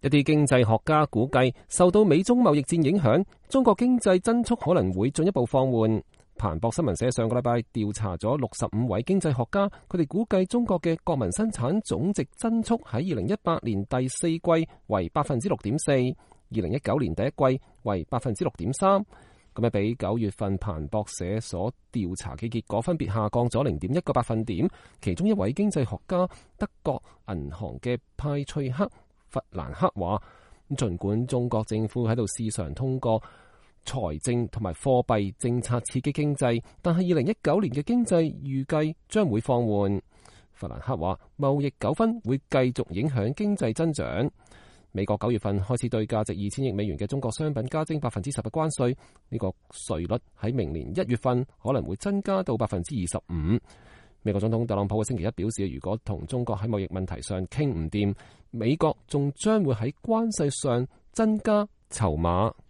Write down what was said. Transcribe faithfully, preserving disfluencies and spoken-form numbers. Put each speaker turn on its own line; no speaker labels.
一啲經濟學家估計，受到美中貿易戰影響，中國經濟增速可能會進一步放緩。彭博新聞社上個禮拜調查咗六十五位經濟學家，佢哋估計中國嘅國民生產總值增速喺二零一八年第四季為百分之六點四，二零一九年第一季為百分之六點三，咁啊比九月份彭博社所調查嘅結果分別下降咗零點一個百分點。其中一位經濟學家德國銀行嘅派翠克弗蘭克話，儘管中國政府喺度試嘗通過財政同埋貨幣政策刺激經濟，但係二零一九年嘅經濟預計將會放緩。弗蘭克話，貿易糾紛會繼續影響經濟增長。美國九月份開始對價值二千億美元嘅中國商品加徵百分之十嘅關稅，呢個稅率喺明年一月份可能會增加到百分之二十五。美國總統特朗普嘅星期一表示，如果同中國喺貿易問題上傾唔掂，美國仲將會喺關稅上增加籌碼。